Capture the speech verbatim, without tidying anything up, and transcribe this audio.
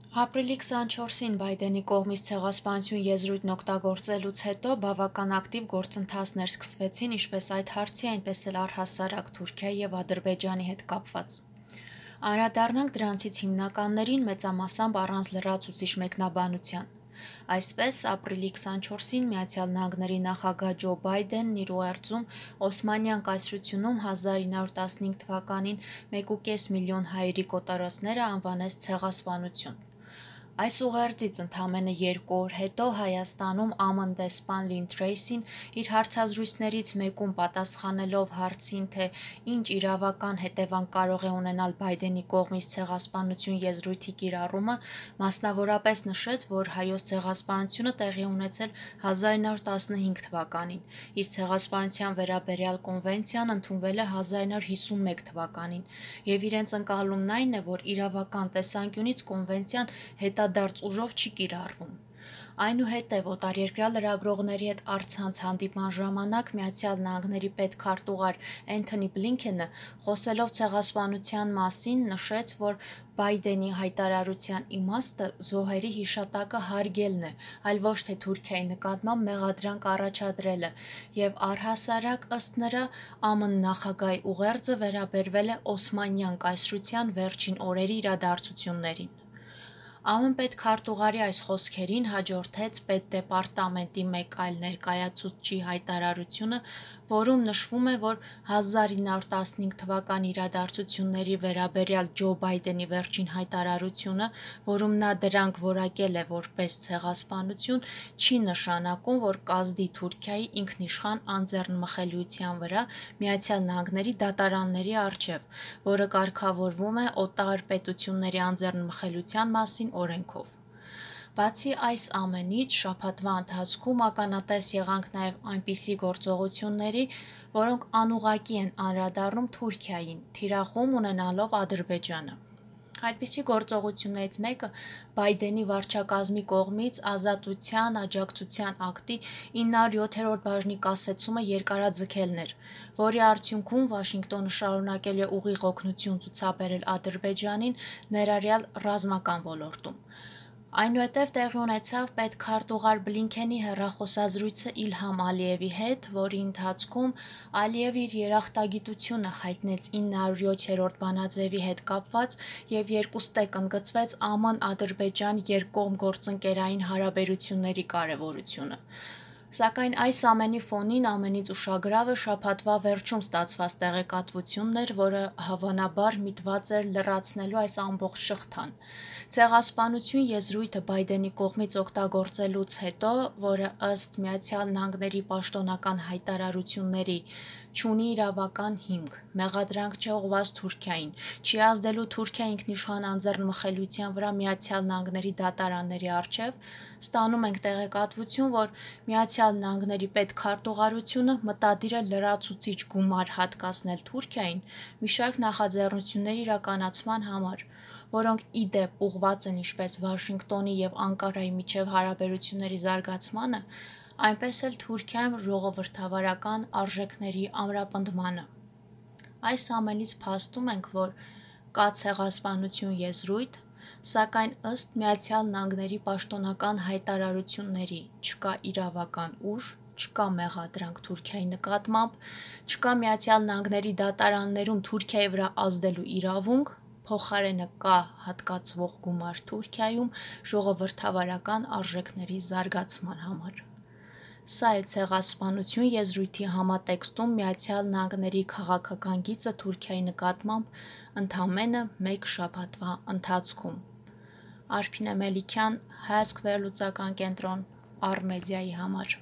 Ապրիլի քսանչորսին Բայդենի կողմից ցեղասպանություն եզրույթն օգտագործելուց հետո բավական ակտիվ գործընթացներ սկսվեցին ինչպես այդ հարցի, այնպես էլ առհասարակ Թուրքիայի և Ադրբեջանի հետ կապված։ Անդրադառնանք դրանցից հիմնականներին մեծամասամբ առանց լրացուցիչ մեկնաբանության։ Այսպես, ապրիլի քսանչորսին Միացյալ Նահանգների նախագահ Ջո Բայդենն իր ուղերձում Օսմանյան կայսրությունում հազար ինը հարյուր տասնհինգ թվականին մեկուկես միլիոն հայերի կոտորածները անվանեց ցեղասպանություն։ Այս ուղերձից ընդամենը երկու օր հետո Հայաստանում ԱՄՆ դեսպան Լին Թրեյսին իր հարցազրույցներից մեկում պատասխանելով հարցին, թե ինչ իրավական հետևանք կարող է ունենալ Բայդենի կողմից ցեղասպանություն եզրույթի կիրառումը, մասնավորապես նշեց, որ Հայոց ցեղասպանությունը տեղի է ունեցել հազար ինը հարյուր տասնհինգ թվականին, իսկ ցեղասպանության վերաբերյալ կոնվենցիան ընդունվել է հազար ինը հարյուր հիսունմեկ թվականին, և իրենց ընկալումն այն է, որ իրավական տեսանկյունից կոնվենցիան հետադարձ ուժով չի կիրառվում։ Այնուհետև օտարերկրյա լրագրողների հետ առցանց հանդիպման ժամանակ Միացյալ Նահանգների պետքարտուղար Էնթոնի Բլինքենը, խոսելով ցեղասպանության մասին, նշեց, որ Բայդենի հայտարարության իմաստը զոհերի հիշատակը հարգելն է, այլ ոչ թե Թուրքիայի նկատմամբ մեղադրանք առաջադրելը, և առհասարակ, ըստ նրա, ԱՄՆ նախագահի ուղերձը վերաբերվել է Օսմանյան կայսրության վերջին օրերի իրադարձություններին։ ԱՄՆ պետքարտուղարի այս խոսքերին հաջորդեց Պետդեպարտամենտի մեկ այլ ներկայացուցչի հայտարարությունը, որում նշվում է, որ հազար ինը հարյուր տասնհինգ թվականի իրադարձությունների վերաբերյալ Ջո Բայդենի վերջին հայտարարությունը, որում նա դրանք որակել է որպես ցեղասպանություն, չի նշանակում, որ կազդի Թուրքիայի ինքնիշխան անձեռնմխելիության վրա Միացյալ Նահանգների դատարանների առջև, որը կարգավորվում է օտար պետությունների անձեռնմխելիության մասին օրենքով։ Բացի այս ամենից, շաբաթվա ընթացքում ականատես եղանք նաև այնպիսի գործողությունների, որոնք անուղղակի են անդրադառնում Թուրքիային, թիրախում ունենալով Ադրբեջանը։ Այդպիսի գործողություններից մեկը Բայդենի վարչակազմի կողմից Ազատության աջակցության ակտի ինը հարյուր յոթերորդ բաժնի կասեցումը երկարաձգելն էր, որի արդյունքում Վաշինգտոնը շարունակել է ուղիղ օգնություն ցուցաբերել Ադրբեջանին, ներառյալ ռազմական ոլորտում։ Այնուհետև տեղի ունեցավ պետքարտուղար Բլինքենի հեռախոսազրույցը Իլհամ Ալիևի հետ, որի ընթացքում Ալիևը իր երախտագիտությունը հայտնեց ինը հարյուր յոթերորդ բանաձևի հետ կապված և երկուստեք ընդգծվեց ԱՄՆ-Ադրբեջան երկկողմ գործընկերային հարաբերությունների կարևորությունը։ Սակայն այս ամենի ֆոնին ամենից ուշագրավը շաբաթվա վերջում ստացված տեղեկատվությունն էր, որը հավանաբար միտված էր լրացնելու այս ամբողջ շղթան։ Ցեղասպանություն եզրույթը Բայդենի կողմից օգտագործելուց հետո, որը ըստ Միացյալ Նահանգների պաշտոնական հայտարարությունների չունի իրավական հիմք, մեղադրանք չէ ուղղված Թուրքիային, չի ազդելու Թուրքիայի ինքնիշխան անձեռնմխելիության վրա Միացյալ Նահանգների դատարանների առջև, ստանում ենք տեղեկատվություն, որ Միացյալ Նահանգների պետքարտուղարությունը մտադիր է լրացուցիչ գումար հատկացնել Թուրքիային մի շարք նախաձեռնությունների իրականացման համար, որոնք ի դեպ ուղղված են ինչպես Վաշինգտոնի և Անկարայի միջև հարաբերությունների զարգացմանը, այնպես էլ Թուրքիայում ժողովրդավարական արժեքների ամրապնդմանը։ Այս ամենից փաստում ենք, որ կա ցեղասպանություն եզրույթ, սակայն ըստ Միացյալ Նահանգների պաշտոնական հայտարարությունների չկա իրավական ուժ, չկա մեղադրանք Թուրքիայի նկատմամբ, չկա Միացյալ Նահանգների դատարաններում Թուրքիայի վրա ազդելու իրավունք, փոխարենը կա հատկացվող գումար Թուրքիայում ժողովրդավարական արժեքների զարգացման համար։ Սա է ցեղասպանություն եզրույթի համատեքստում Միացյալ Նահանգների քաղաքական գիծը Թուրքիայի նկատմամբ ընդամենը մեկ շաբաթվա ընթացքում։ Արփինե Մելիքյան, Հայացք վերլուծական կենտրոն, Առ Մեդիայի համար։